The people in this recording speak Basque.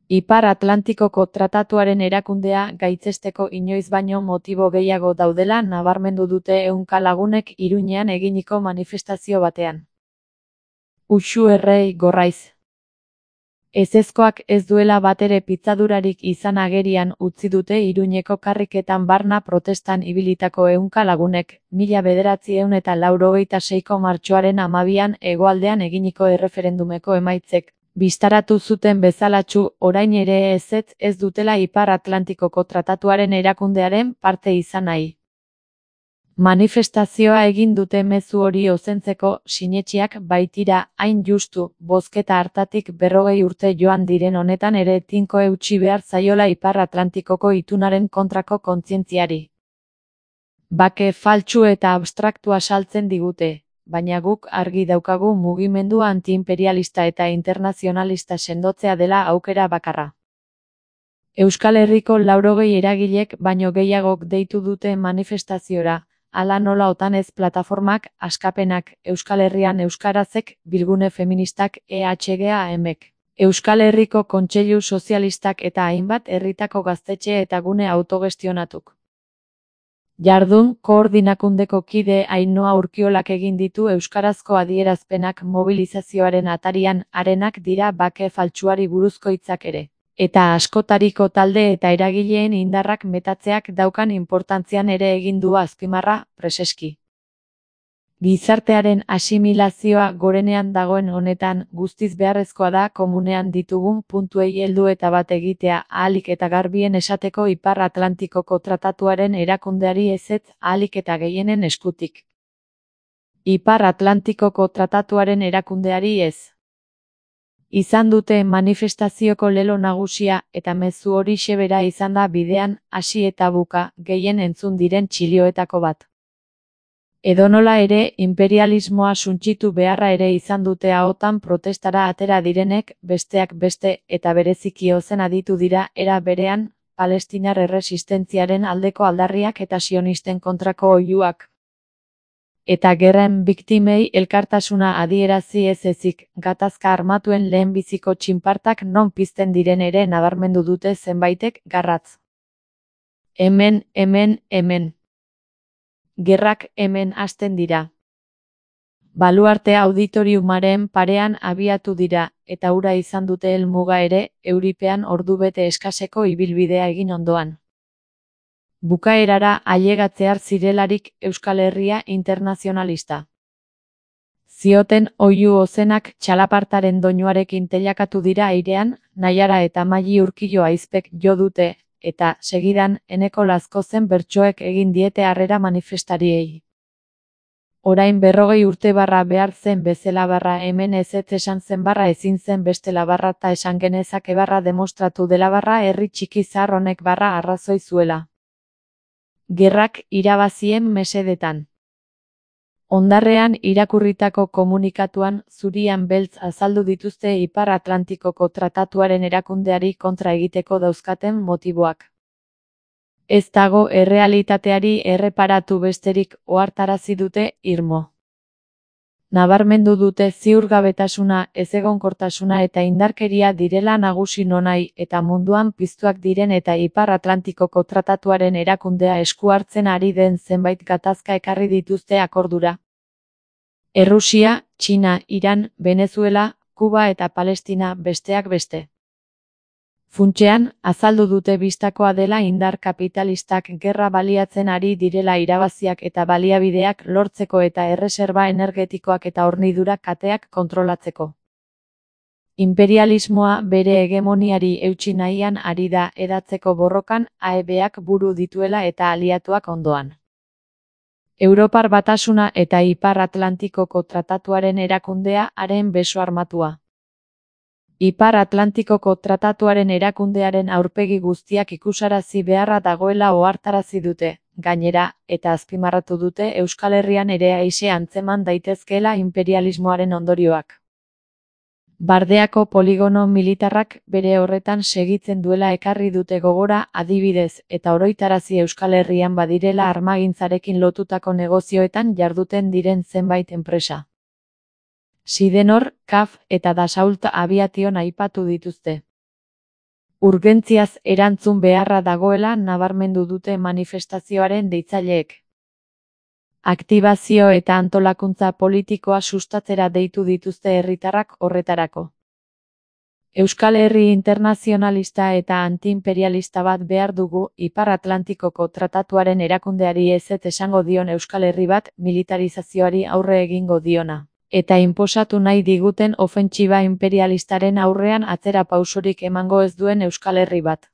Ipar Atlantikoko Tratatuaren erakundea gaitzesteko inoiz baino motibo gehiago daudela nabarmendu dute ehunka lagunek Iruñean eginiko manifestazio batean. Uxu errei gorraiz. Ezezkoak ez duela batere pitzadurarik izan agerian utzi dute Iruñeko karriketan barna protestan ibilitako ehunka lagunek, 1986ko martxoaren 12an hegoaldean eginiko erreferendumeko emaitzek bistaratu zuten bezalatsu orain ere ezetz ez dutela Ipar Atlantikoko Tratatuaren erakundearen parte izan nahi. Manifestazioa egin dute mezu hori ozentzeko sinetxiak baitira hain justu, bozketa hartatik 40 urte joan diren honetan ere tinko eutsi behar zaiola Ipar Atlantikoko itunaren kontrako kontzientziari. Bake faltsu eta abstraktua saltzen digute, baina guk argi daukagu mugimendu antiimperialista eta internazionalista sendotzea dela aukera bakarra. Euskal Herriko 80 eragilek baino gehiagok deitu dute manifestaziora, hala nola Otanez plataformak, Askapenak, Euskal Herrian Euskarazek, Bilgune Feministak, EHGAMek, Euskal Herriko Kontseilu Sozialistak eta hainbat herritako gaztetxe eta gune autogestionatuk. Jardun koordinakundeko kide Ainhoa Urkiolak egin ditu euskarazko adierazpenak mobilizazioaren atarian, harenak dira bake faltsuari buruzko hitzak ere. Eta askotariko talde eta eragileen indarrak metatzeak daukan inportantzian ere egin du azpimarra, preseski. Gizartearen asimilazioa gorenean dagoen honetan, guztiz beharrezkoa da komunean ditugun puntuei heldu eta bat egitea ahalik eta garbien esateko Ipar Atlantikoko Tratatuaren erakundeari ezetz ahalik eta gehienen eskutik. Ipar Atlantikoko Tratatuaren erakundeari ez. Izan dute manifestazioko lelo nagusia eta mezu horixe bera izan da bidean hasi eta buka gehien entzun diren txilioetako bat. Edonola ere, imperialismoa suntsitu beharra ere izan dute ahotan protestara atera direnek, besteak beste, eta bereziki ozen aditu dira, era berean, palestinar erresistentziaren aldeko aldarriak eta sionisten kontrako oihuak. Eta gerren biktimei elkartasuna adierazi ez ezik, gatazka armatuen lehenbiziko txinpartak non pizten diren ere nabarmendu dute zenbaitek garratz. Hemen. Gerrak hemen hasten dira. Baluarte auditoriumaren parean abiatu dira, eta hura izan dute helmuga ere, euripean ordubete eskaseko ibilbidea egin ondoan. Bukaerara ailegatzear zirelarik Euskal Herria internazionalista. Zioten oihu ozenak txalapartaren doinuarekin teilakatu dira airean, Naiara eta Maili Urkio aizpek jo dute, eta, segidan, Eneko Lazkozen bertsoek egin diete harrera manifestariei. Orain 40 urte barra behar zen bezala barra hemen ezetz esan zen barra ezin zen bestela barra ta esan genezake barra demostratu dela barra herri txiki zahar honek barra arrazoi zuela. Gerrak irabazien mesedetan. Hondarrean irakurritako komunikatuan zurian beltz azaldu dituzte Ipar Atlantikoko Tratatuaren erakundeari kontra egiteko dauzkaten motiboak. Ez dago errealitateari erreparatu besterik ohartarazi dute irmo. Nabarmendu dute ziurgabetasuna, ezegonkortasuna eta indarkeria direla nagusi nonai eta munduan piztuak diren eta Ipar Atlantikoko Tratatuaren erakundea esku hartzen ari den zenbait gatazka ekarri dituzte akordura. Errusia, Txina, Iran, Venezuela, Kuba eta Palestina besteak beste. Funtsean, azaldu dute bistakoa dela indar kapitalistak gerra baliatzen ari direla irabaziak eta baliabideak lortzeko eta erreserba energetikoak eta hornidura kateak kontrolatzeko. Imperialismoa bere hegemoniari eutsi nahian ari da edatzeko borrokan AEBak buru dituela eta aliatuak ondoan. Europar Batasuna eta Ipar Atlantikoko Tratatuaren erakundea haren beso armatua. Ipar Atlantikoko Tratatuaren erakundearen aurpegi guztiak ikusarazi beharra dagoela ohartarazi dute, gainera, eta azpimarratu dute Euskal Herrian ere aise antzeman daitezkeela imperialismoaren ondorioak. Bardeako poligono militarrak bere horretan segitzen duela ekarri dute gogora adibidez eta oroitarazi Euskal Herrian badirela armagintzarekin lotutako negozioetan jarduten diren zenbait enpresa. Sidenor, CAF eta Dassault Aviation aipatu dituzte. Urgentziaz erantzun beharra dagoela nabarmendu dute manifestazioaren deitzaileek. Aktibazio eta antolakuntza politikoa sustatzera deitu dituzte herritarrak horretarako. Euskal Herri internazionalista eta antiimperialista bat behar dugu, Ipar Atlantikoko Tratatuaren erakundeari ezetz esango dion Euskal Herri bat, militarizazioari aurre egingo diona, eta inposatu nahi diguten ofentsiba inperialistaren aurrean atzera pausorik emango ez duen Euskal Herri bat.